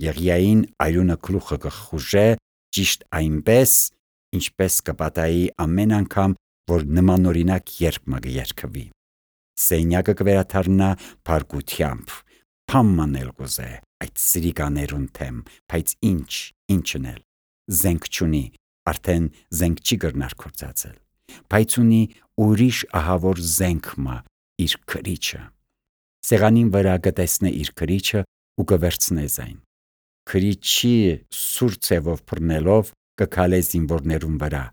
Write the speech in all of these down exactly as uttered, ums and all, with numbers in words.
Եղիային այրունը գլուխը կխուժե ճիշտ այնպես, ինչպես կպատահի ամեն անգամ, որ նմանօրինակ երգը կերգվի։ Սենյակը կվերադառնա փարգությամբ, փամման էլ կուզե այդ սրիկաներուն թեմ, բայց ինչ, ինչն էլ, զենք չունի, արդեն զենք չի կրնար կործածել, բայց ունի ուրիշ ահավոր զենք մը, իր քրիչը։ Սեղանին վրա կտեսնե իր քրիչը ու կվերցնե զայն։ Քրիչի սուր ցևով բռնելով կքալե զինվորներուն վրա,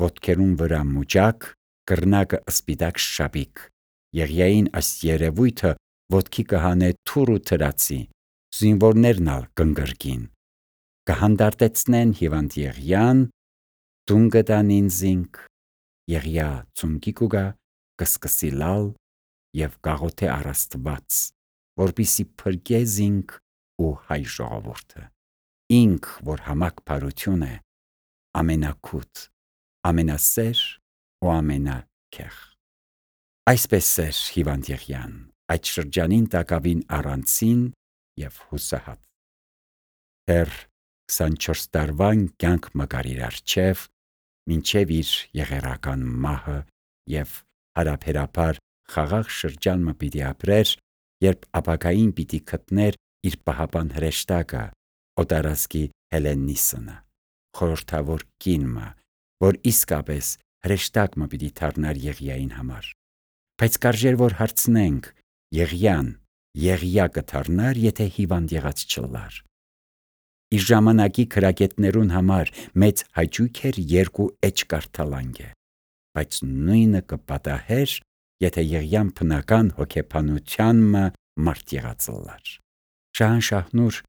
ոտքերուն վրա մուճակ, կռնակը սպիտակ շաբիկ։ Եղիային այս երևույթը ոտքի կհանե թուր ու թրացի, զինվորներն ալ կընկրկին, կհանդարտեցնեն հիվանդ Եղիան, տուն կտանին զինք, Եղիա ծունկի կուգա, կսկսի լալ եւ կաղոթե առ Աստված, որպիսի փրկե զինք ու հայ ժողովուրդը։ Ինք, որ համակ բարություն է, ամենակութ, ամենասեր ու ամենաքեղ։ Այսպես էր հիվանդ Եղիան, այդ շրջանին տակավին առանցին եւ հուսահատ։ Դեռ քսանչորս տարվան կյանք մկար իր առջև, մինչև իր եղերական մահը եւ հարաբերաբար խաղաղ շրջան մը պիտի ապրեր, երբ ապագային պիտի գտներ իր պահապան հրեշտակը, օտարազգի Հելենիսը, խորհրդավոր կինը, որ իսկապես հրեշտակ մը պիտի դառնար Եղիային համար։ Բայց կարժեր որ հարցնենք, Եղիան Եղիա կդառնար, եթե հիվանդ եղած չլար։ Իր ժամանակի քրագետներուն համար մեծ հաճույք էր երկու էջ կարդալանգը, բայց նույնը կպատահեր, եթե Եղիան բնական հոգեբանության մը մարդ եղած լար։ Շահանշահնուր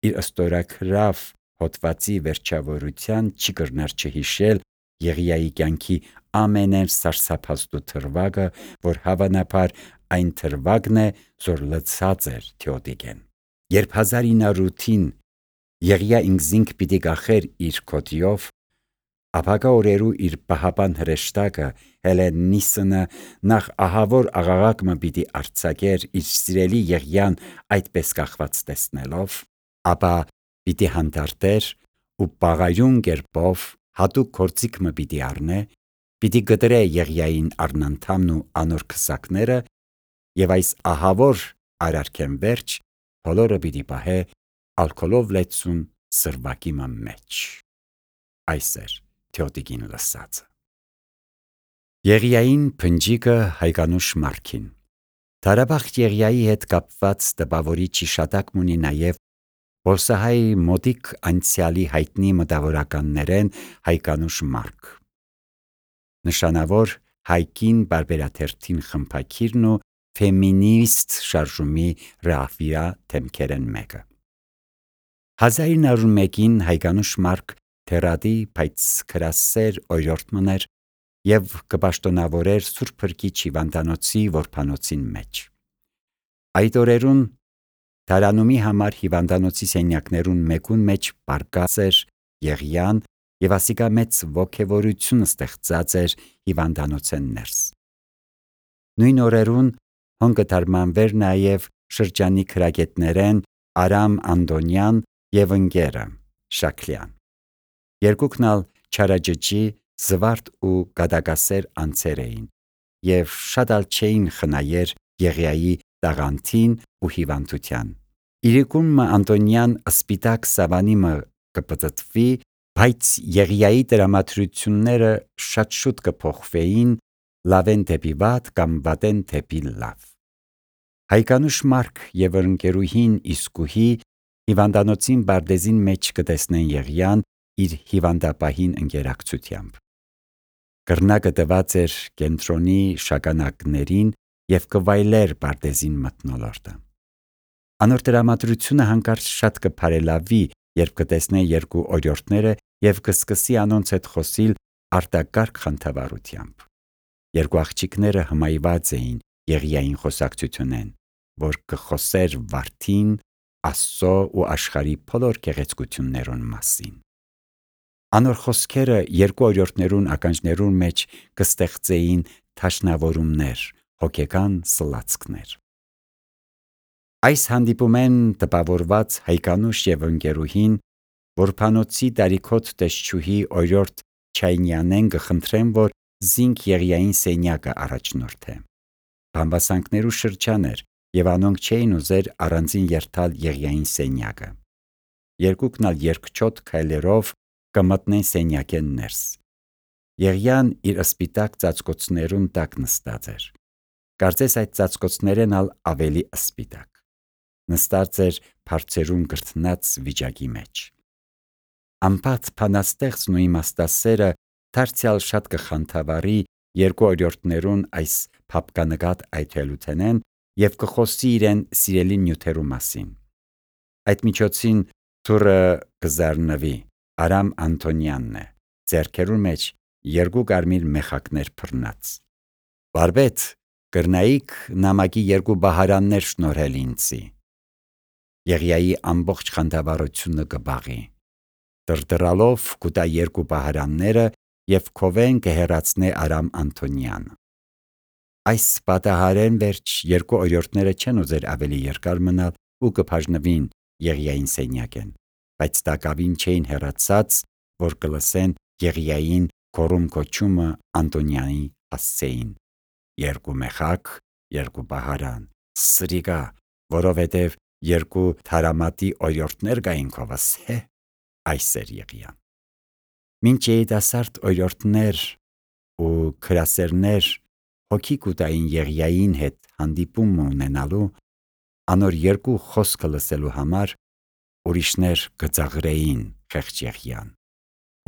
իր ստորագրավ հոդվածի վերջավորության չի կրնար չհիշել Եղիայի կյանքի ամենեն սարսափազդու թրվագը, որ հավանաբար այն թրվագն է, որ լցած էր Թեոդիկեն։ Երբ հազար ինը ութին Եղիա ինքզինք պիտի կախեր իր քոթիով, ապագա օրերու իր պահապան հրեշտակը Հելենիսը նախ ահավոր աղաղակ մը պիտի արձակեր իր սիրելի Եղիան այդպես կախված տեսնելով, ապա պիտի հանդարտեր ու պաղայուն կերպով հատուկ գործիք մը պիտի առնե, պիտի գտրե Եղիային առնանդամն ու անոր քսակները եւ այս ահավոր արարքեն վերջ բոլորը պիտի պահե ալկոլով լեցուն սրվակի մը մեջ։ Այս էր Թեոդիկին լսածը։ Եղիային փնջիկը հայկանուշ Մարքին։ Դարաբախտ Եղիայի հետ կապված տպավորիչ հիշատակ ունի նաև Բոլսահայի մոտիկ անցյալի հայտնի մտավորականներեն հայկանուշ Մարք։ Նշանավոր հայկին բարբերաթերթին խմբակիրն ու ֆեմինիստ շարժումի ռահվիրա թեմքերեն մեկը։ հազար ինը մեկին հայկանուշ Մարք թերադի, բայց քրասեր օրիորդ մներ եւ կպաշտոնավորեր Սուրբ Փրկիչ հիվանդանոցի որբանոցին մեջ։ Այդ օրերուն Դարանումի համար հիվանդանոցի սենյակներուն մեկուն մեջ պարկած էր Եղիան եւ ասիկա մեծ ոգևորություն ստեղծած էր հիվանդանոցեն ներս։ Նույն օրերուն հոն կդարմանվեր նաև շրջանի քրագետներեն Արամ Անդոնյան եւ ընկերը Շաքլյան։ Երկուքն ալ չարաջջի, զվարթ ու գադակասեր անձեր էին եւ շատ ալ չէին խնայեր Եղիայի տաղանդին ու հիվանդության։ Իրիկունը Անդոնյան սպիտակ սավանի մը կպտտվի, բայց Եղիայի դրամատրությունները շատ շուտ կփոխվեին լավեն դեպի վատ կամ վատեն դեպի լավ։ Հայկանուշ Մարք եւ ընկերուհին Իսկուհի հիվանդանոցին բարդեզին մեջ կտեսնեն Եղիան իր հիվանդապահին ընկերակցությամբ։ Կռնակը տված էր կենտրոնի շագանակներին եւ կվայլեր բարդեզին մթնոլորտը։ Անոր դրամատրությունը հանկարծ շատ կփարելավի, երբ կտեսնե երկու օրիորդները եւ կսկսի անոնց հետ խոսիլ արտակարգ խանդավառությամբ։ Երկու աղջիկները հմայված էին Եղիային խոսակցությունեն, որ կխոսեր վարդին, Աստծո ու աշխարհի բոլոր գեղեցկություններուն մասին։ Անոր խոսքերը երկու օրիորդներուն ականջներուն մեջ կստեղծեին թաշնավորումներ, հոգեկան սլացքներ։ Այս հանդիպումեն տպավորված Հայկանուշ եւ ընկերուհին որփանոցի դարիքոտ տեսչուհի օրիորդ Չայնյանեն կխնդրեն, որ զինք Եղիային սենյակը առաջնորդե։ Բամբասանքներու շրջան էր եւ անոնք չէին ուզեր առանձին երթալ Եղիային սենյակը։ Երկուքն ալ երկչոտ քայլերով կմտնեն սենյակեն ներս։ Եղիան իր սպիտակ ծածկոցներուն տակ նստած էր։ Կարծես այդ ծածկոցներն ալ ավելի սպիտակ։ Նստած էր բարձերուն գրտնած վիճակի մեջ։ Ամբաթ փանաստեղծն ու իմաստասերը դարձյալ շատ կխանդավառի երկու օրիորդներուն այս փապկանգատ այթելութենեն եւ կխոսի իրեն սիրելի նյութերու մասին։ Այդ միջոցին թուրը կզարնվի, Արամ Անտոնյանն է, ձեռքերուն մեջ երկու կարմիր մեխակներ բռնած։ Բարբետ, կրնայիք նամակի երկու բահարաններ շնորհել ինձի։ Եղիայի ամբողջ խանդավառությունը կբաղի։ Դրդրալով կուտա երկու բահարանները եւ քովեն կհեռացնե Արամ Անտոնյանը։ Այս պատահարեն վերջ երկու օրիորդները չեն ուզեր ավելի երկար մնալ ու կբաժնվին Եղիային սենյակեն, բայց տակավին չէին հեռացած, որ կլսեն Եղիային կորում կոչումը Անտոնյանի հասցեին։ Երկու մեխակ, երկու բահարան, սրիկա, որովհետև երկու թարամատի օրիորդներ կային քովս, հե, այս էր Եղիան։ Մինչ երիտասարդ օրիորդներ ու քրասերներ հոգի կուտային Եղիային հետ հանդիպում ունենալու, անոր երկու խոսքը լսելու համար ուրիշներ կծաղրեին խեղճ Եղիան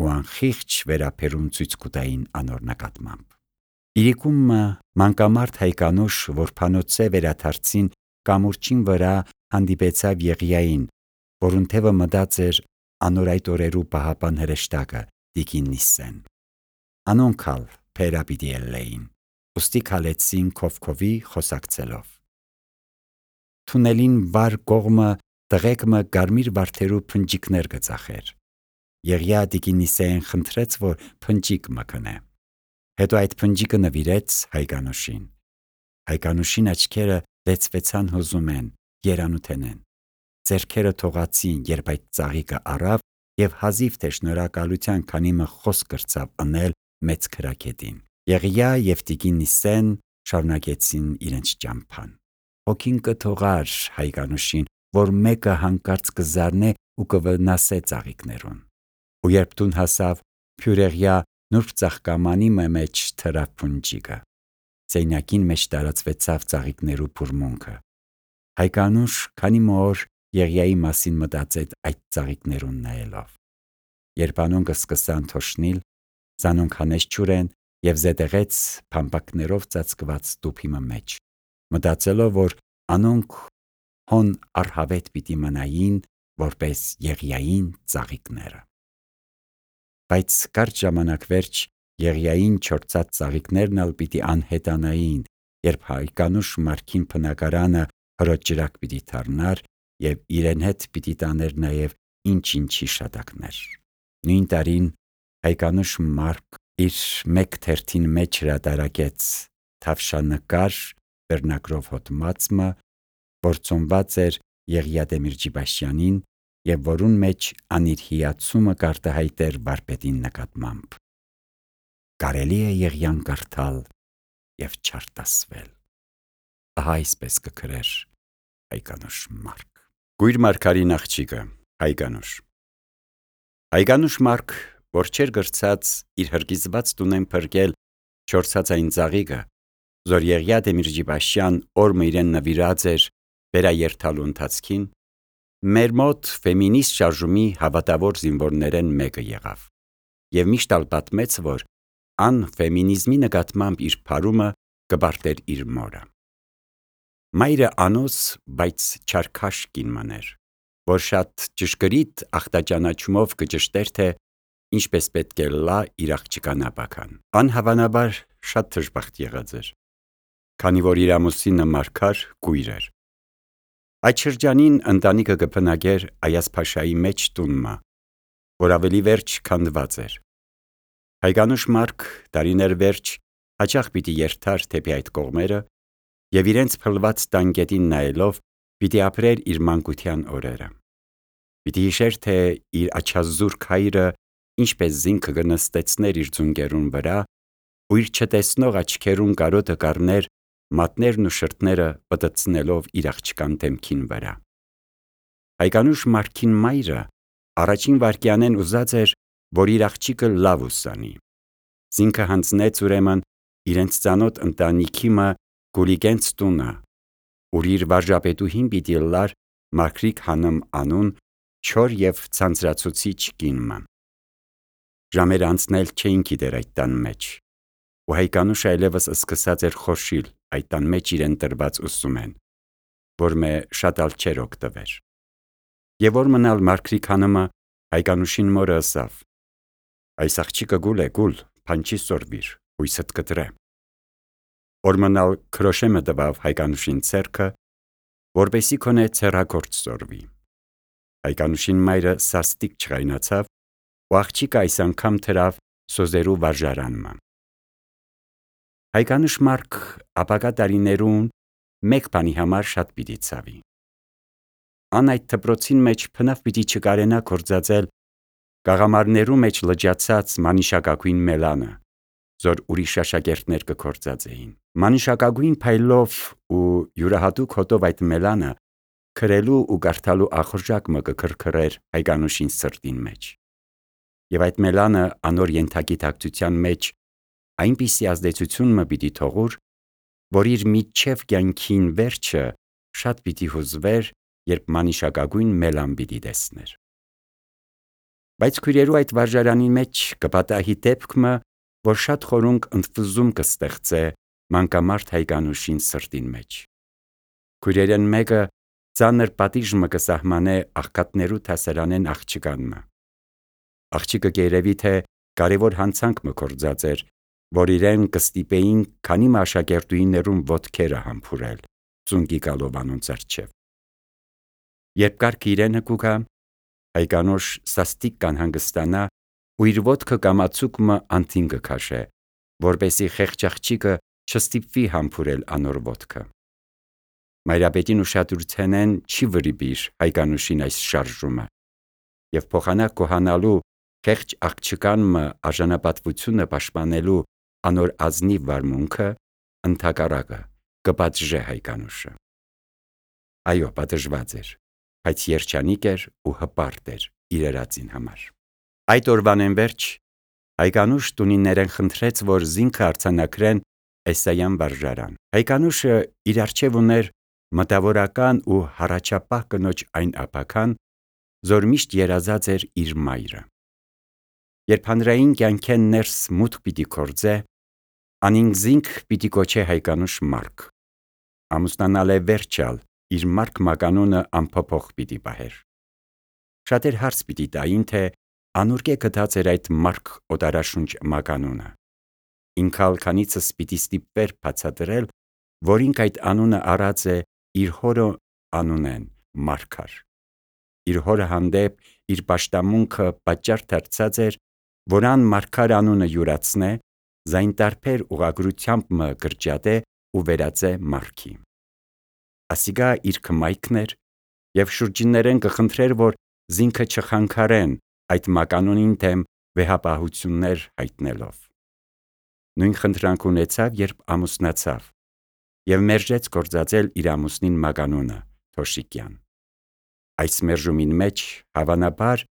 ու անխիղճ վերապերում ցույց կուտային անոր նկատմամբ։ Իրիկումը մանկամարդ Հայկանուշ որփանոցե վերաթարցին կամուրջին վրա հանդիպեցավ Եղիային, որուն թևը մտած էր անոր այդ օրերու պահապան հրեշտակը Տիկին Նիսեն։ Անոնքալ փերապիտի ելեին, ուստի քալեցին քովքովի խոսակցելով։ Թունելին վար կողմը տղեկմը կարմիր վարդերու փնջիկներ կծախեր։ Եղիա Տիկին Նիսեն խնդրեց, որ փնջիկ մկնե։ Հետո այդ փնջիկը նվիրեց Հայկանուշին։ Հայկանուշին աչքերը լեցվեցան հուզումեն, երանութենեն։ Ձեռքերը թողացին, երբ այդ ծաղիկը առավ եւ հազիվ թե շնորհակալության քանի մը խոսք կրծավ ընել մեծ քրակետին։ Եղիա եւ Տիկին Նիսեն շարունակեցին իրենց ճամփան։ Հոգին կթողար Հայկանուշին, որ մեկը հանկարծ կզարնե ու կվնասե ծաղիկներուն։ Ու երբ տուն հասավ, փյուրեղյա նուրբ ծաղկամանի մեջ թրավ փունջիկը։ Սենյակին մեջ տարածվեցավ ծաղիկներու բուրմունքը։ Հայկանուշ քանի մոր Եղիայի մասին մտածեց այդ ծաղիկներուն նայելով։ Երբ անոնք սկսան թոշնիլ, զանոնք հանեց ջուրեն եւ զետեղեց փամփակներով ծածկված տուփի մեջ, մտածելով, որ անոնք հոն արհավետ պիտի մնային, որպես Եղիային ծաղիկները։ Բայց կարճ ժամանակ վերջ Եղիային չորցած ծաղիկներն ալ պիտի անհետանային, երբ Հայկանուշ Մարքին բնակարանը հրոջ ջրակ պիտի դառնար եւ իրեն հետ պիտի տաներ նաեւ ինչ-ինչ հիշատակներ։ Նույն տարին Հայկանուշ Մարք իր մեկ թերթին մեջ հրատարակեց թավշանկար վերնագրով հոդմածը, որ ծնված էր Եղիա Դեմիրճիբաշյանին եւ որուն մեջ անիր հիացումը կարտահայտեր վարպետին նկատմամբ։ Կարելի է Եղիան կարդալ եւ չարտասվել։ Ահա այսպես կգրեր Հայկանուշ Մարք։ Գույր մարգարին աղջիկը Հայկանուշ։ Հայկանուշ Մարք, որ չեր գրծած իր հրկիզված տունեն փրկել չորցած այն ծաղիկը, զոր Եղիա Դեմիրճիբաշյան օրը իրեն նվիրած էր վերաերթալու ընթացքին, մեր մոտ ֆեմինիստ շարժումի հավատավոր զինվորներեն մեկը եղավ եւ միշտ ալ պատմեց, որ ան ֆեմինիզմի նկատմամբ իր փարումը կբարտեր իր մորը։ Մայրը անոս, բայց չարքաշ կին մներ, որ շատ ճշգրիտ ախտաճանաչումով կճշտեր, թե ինչպես պետք է լա իր աղջկան ապական։ Ան հավանաբար շատ դժբախտ եղած էր, քանի որ իր ամուսինը Մարգար կույր էր։ Այդ շրջանին ընտանիքը կփնագեր Այազփաշայի մեջ տունմա, որ ավելի վերջ քանդված էր։ Հայկանուշ Մարք տարիներ վերջ հաճախ պիտի երթար թեպի այդ կողմերը եւ իրենց փլված տանկետին նայելով Պիտի ապրեր իր մանկության օրերը։ Պիտի հիշեր, թե իր աչազուրկ հայրը ինչպես զինքը կնստեցներ իր ձունկերուն վրա, ու իր չտեսնող աչքերուն կարոտը կառներ մատներն ու շրթները պտտցնելով իր աղջկան դեմքին վրա։ Հայկանուշ Մարքին մայրը առաջին վայրկյանեն ուզած էր, որ իր աղջիկը լավ ուսանի։ Զինքը հանձնեց ուրեմն իրենց ծանոթ ընտանիքի մը Գուլիգենց տունը, ուր իր վարժապետուհին պիտի լար Մարգրիկ հանմ անուն չոր և ցանցրացուցիչ կինը։ Ժամեր անցնել չէին գիտեր այդ տան մեջ, ու Հայկանուշը այլևս սկսած էր խորշիլ այդ տան մեջ իրեն տրված ուսումեն, որ մե շատ ալ չէր օգտվեր։ Եվ որ մնալ Մարգրիկ հանմը Հայկանուշին մորը ըսավ. «Այս աղջիկը գուլ է գուլ, փանչի սորվիր, հույսդ կտրե»։ Որ մնալ քրոշեմը տվավ Հայկանուշին ցերքը, որպեսի քոնե ցերագործ սորվի։ Հայկանուշին մայրը սաստիկ չղայնացավ, ու աղջիկը այս անգամ թրավ սոզերու վարժարանմը։ Հայկանուշ Մարք ապագա տարիներուն մեկ բանի համար շատ պիտի ցավի։ Ան այդ դպրոցին մեջ փնավ պիտի չկարենա գործածել գաղամարներու մեջ լճացած մանիշակագույն մելանը, զոր ուրիշ աշակերտներ կգործածեին։ Մանիշակագույն փայլով ու յուրահատուկ հոտով այդ մելանը քրելու ու կարդալու ախորժակ մը կքրքրեր Հայկանուշին սրտին մեջ։ Եվ այդ մելանը անոր ենթագիտակցության մեջ այնպիսի ազդեցություն մը պիտի թողուր, որ իր միջև կյանքին վերջը շատ պիտի հուզվեր, երբ մանիշակագույն մելան պիտի տեսներ։ Բայց քույրերու այդ վարժարանի մեջ կպատահի դեպքը, որ շատ խորունկ ընդվզում կստեղծե մանկամարդ Հայկանուշին սրտին մեջ։ Քույրերեն մեկը ծանր պատիժ մը կսահմանե աղքատներու թասարանեն աղջկանմը։ Աղջիկը գերևի թե կարևոր հանցանք մը կործած էր, որ իրեն կստիպեին քանի մը աշակերտուհիներուն ոտքերը համբուրել ծունկի գալով անոնց առջև։ Երբ կարգ իրենը կուգա, Հայկանուշ սաստիկ կանհանգստանա ու իր ոտքը կամացուկ մը անտին կքաշե, որպեսի խեղճ աղջիկը չստիպվի համբուրել անոր ոտքը։ Մայրապետին ուշադրութենեն չի վրիպիր Հայկանուշին այս շարժումը, և փոխանակ կոհանալու խեղճ աղջկան մը արժանապատվությունը պաշտպանելու անոր ազնիվ վարմունքը ընդհակառակը կպատժե Հայկանուշը։ Այո, պատժված էր, բայց երջանիկ էր ու հպարտ էր իր երածին համար։ Այդ օրվանեն վերջ Հայկանուշ տունիներեն խնդրեց, որ զինքը արձանագրեն Էսայան վարժարան։ Հայկանուշը իր առջև ուներ մտավորական ու հառաջապահ կնոջ այն ապագան, զոր միշտ երազած էր իր մայրը։ Երբ հանրային կյանքեն ներս մուտք պիտի գործե, անին զինք պիտի կոչե Հայկանուշ Մարք։ Ամուսնանալ է վերջալ, իր Մարք մականունը անփոփոխ պիտի պահեր։ Շատեր հարց պիտի տային, թե անուրկե գտած էր այդ Մարք օտարաշունչ մականունը։ Ինքալ քանիցս պիտի ստիպվեր բացատրել, որ ինք այդ անունը առած է իր հորը անունեն Մարգար։ Իր հորը հանդեպ իր պաշտամունքը պատճառ դարձած էր, որ ան Մարգար անունը յուրացնե, զայն տարբեր ուղղագրությամբ մը կրճատե ու վերածե Մարքի։ Ասիգա իր կմայքն էր և շուրջիններեն կխնդրեր, որ զինքը չխանգարեն այդ մականունին դեմ վեհապահություններ հայտնելով։ Նույն խնդրանք ունեցավ, երբ ամուսնացավ և մերժեց գործածել իր ամուսնին մականունը Թոշիկյան։ Այս մերժումին մեջ հավանաբար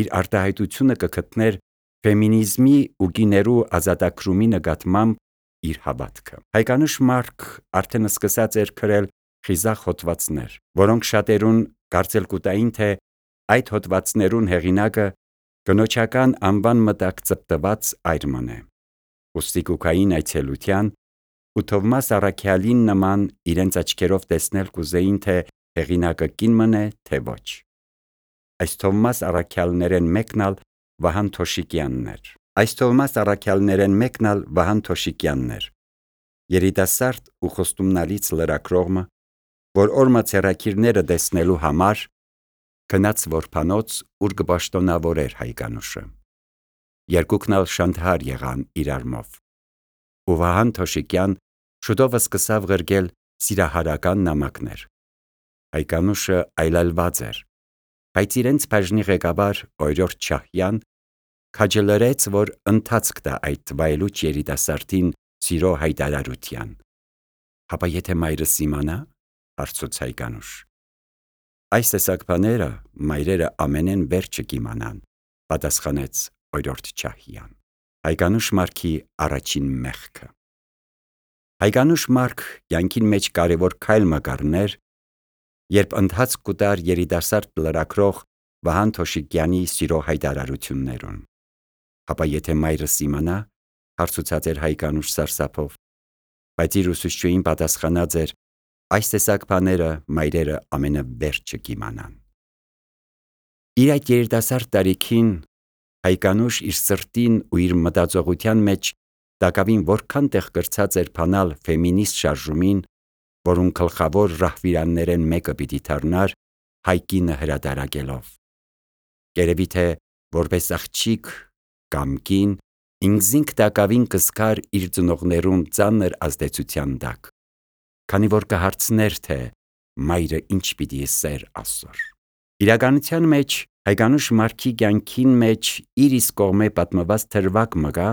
իր արտահայտությունը կգտներ ֆեմինիզմի ու կիներու ազատագրումի նկատմամբ իր հավատքը։ Հայկանուշ Մարք արդեն սկսած էր գրել խիզախ հոդվածներ, որոնք շատերուն կարծել կուտային, թե այդ հոդվածներուն հեղինակը կնոջական անվան մտակ ծպտված այրման է։ Ուստի կուքային այցելության ու Թովմաս Առաքյալին նման իրենց աչքերով տեսնել կուզեին, թե հեղինակը կին մն է, թե ոչ։ Այս Թովմաս Առաքյալներեն մեկն ալ Վահան Թոշիկյանն էր։ Այս Թովմաս Առաքյալներեն մեկն ալ Վահան Թոշիկյանն էր։ Երիտասարդ ու խոստումնալից լրագրողը, որ օրմա ցերակիրները տեսնելու համար գնաց որբանոց, ուր կպաշտոնավորեր Հայկանուշը։ Երկուքն ալ շանթահար եղան իրարմով։ Ու Վահան Թոշիկյան շուտով սկսավ գրգել սիրահարական նամակներ։ Հայկանուշը այլայլված էր, բայց իրենց բաժնի ղեկավար Օրիորդ Շահյան քաջալերեց, որ ընթացք տա այդ վայելուչ երիտասարդին սիրո հայտարարության։ Հապա եթե մայրս իմանա, հարցուց Հայկանուշ։ Այս տեսակ բաները մայրերը ամենեն վերջը կիմանան, պատասխանեց Օրիորդ Շահյան։ Հայկանուշ Մարքի առաջին մեղքը։ Հայկանուշ Մարք կյանքին մեջ կարևոր քայլ մկարներ, երբ ընթացք կուտար երիտասարդ լրագրող Վահան Թոշիկյանի սիրո հայտարարություններուն։ Հապա եթե մայրս իմանա, հարցուցած էր Հայկանուշ սարսափով, բայց իր ուսուցչուհին պատասխանած էր, այս տեսակ բաները մայրերը ամենավերջը կիմանան։ Իր այդ երիտասարդ տարիքին Հայկանուշ իր սրտին ու իր մտածողության մեջ տակավին որքան տեղ կրցած էր բանալ ֆեմինիստ շարժումին, որուն գլխավոր ռահվիրաններեն մեկը պիտի դառնար Հայկինը հրատարակելով։ Երևի թե որպես աղջիկ կամ կին ինքզինք տակավին կզգար իր ծնողներուն ծանր ազդեցության տակ, քանի որ կհարցներ թե մայրը ինչ պիտի ասեր ասոր։ Իրականության մեջ Հայկանուշ Մարքի կյանքին մեջ իր իսկ կողմե պատմված թրվակ մգա,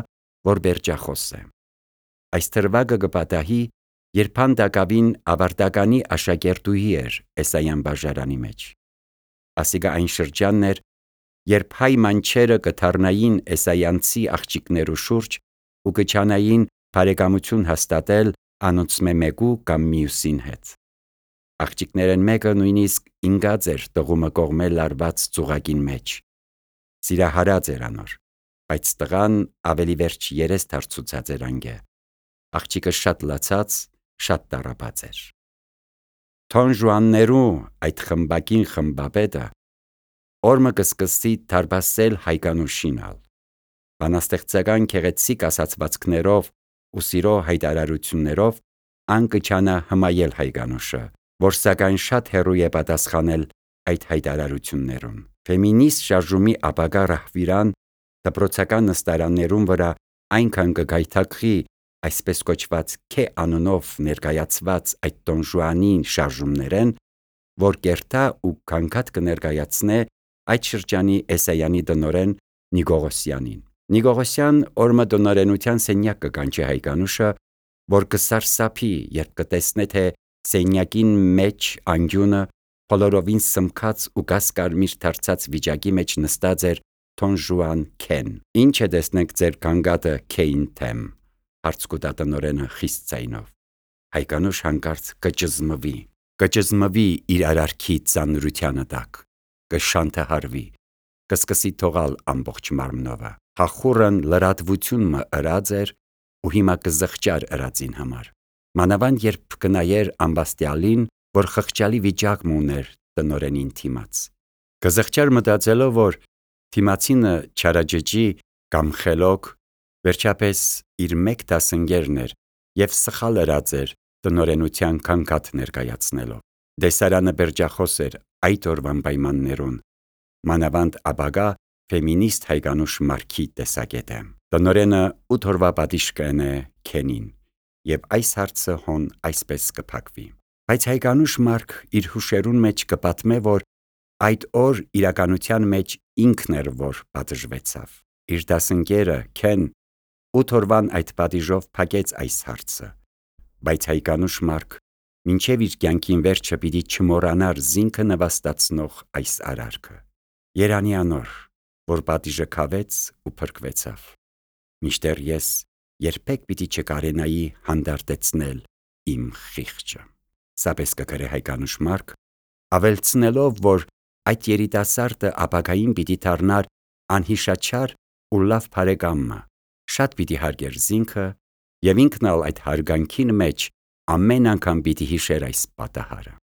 որ բերջախոս է։ Այս թրվակը կպատահի, երբ հանդակավին ավարտականի աշակերտուհի էր Էսայան բաժարանի մեջ։ Ասիկա այն շրջանն էր, երբ հայ մանչերը կդառնային էսայանցի աղջիկներու շուրջ ու կչանային բարեկամություն հաստատել անոնցմե մեկու կամ մյուսին հետ։ Աղջիկներեն մեկը նույնիսկ ինգած էր տղումը կողմե լարված ծուղակին մեջ։ Սիրահարած էր անոր, բայց տղան ավելի վերջ երես դարձուցած էր անգե։ Աղջիկը շատ լացած, շատ տառապած էր։ Թոն Ժուաններու այդ խմբակին խմբապետը օրմը կսկսի դարբասել Հայկանուշին ալ։ Բանաստեղծական քեղեցիկ ասացվածքներով ու սիրո հայտարարություններով ան կչանա հմայել Հայկանուշը, որ սակայն շատ հեռու է պատասխանել այդ հայտարարություններուն։ Ֆեմինիստ շարժումի ապագա ռահվիրան դպրոցական նստարաններուն վրա այնքան կգայթակղի այսպես կոչված Քե անունով ներկայացված այդ տոնժուանին շարժումներեն, որ կերտա ու քանքատ կներկայացնե այդ շրջանի Էսայանի տնօրեն Նիգողոսյանին։ Նիգողոսյան օրմը տնօրենության սենյակ կկանչի Հայկանուշը, որ կսարսափի, երբ կտեսնե թե սենյակին մեջ անկյունը բոլորովին սմքած ու գասկարմիր դարձած վիճակի մեջ նստած էր Թոնժուան Քեն։ Ինչ է տեսնենք ձեր կանգատը Քեին թեմ, հարց կուտա տնօրենը խիստ ձայնով։ Հայկանուշ հանկարծ կճզմվի, կճզմվի իր արարքի ծանրությանը տակ, կշանթահարվի, կսկսի թողալ ամբողջ մարմնովը։ Հախուրն լրատվություն մը ըրած էր ու հիմա կզղջար ըրածին համար։ Մանավանդ երբ կնայեր ամբաստյալին, որ խղճալի վիճակ ուներ տնօրենին թիմաց։ Կզղջար մտածելով, որ թիմացինը չարաջջի կամ խելոք, վերջապես իր մեկ դասընկերն էր և սխալ ըրած էր տնօրենության քանքատ ներկայացնելով։ Դեսարանը բերջախոս էր այդ օրվան պայմաններուն, մանավանդ ապագա ֆեմինիստ Հայկանուշ Մարքի տեսակետը։ Տնօրենը ութ օրվա պատիժ կընե Քենին, և այս հարցը հոն այսպես կփակվի։ Բայց Հայկանուշ Մարք իր հուշերուն մեջ կպատմե, որ այդ օր իրականության մեջ ինքն էր, որ պատժվեցավ։ Իր դասընկերը Քեն ութ օրվան այդ պատիժով փակեց այս հարցը, բայց Հայկանուշ Մարք մինչև իր կյանքին վերջը պիտի չմոռանար զինքը նվաստացնող այս արարքը։ Երանի անոր, որ պատիժը քավեց ու փրկվեցավ, մինչդեռ ես երբեք պիտի չկարենայի հանդարտեցնել իմ խիղճը։ Սապես կգրե Հայկանուշ Մարք, ավելցնելով, որ այդ երիտասարդը ապագային պիտի դառնար անհիշաչար ու լավ բարեկամը, շատ պիտի հարգեր զինքը և ինքն ալ այդ հարգանքին մեջ ամեն անգամ պիտի հիշեր այս պատահարը։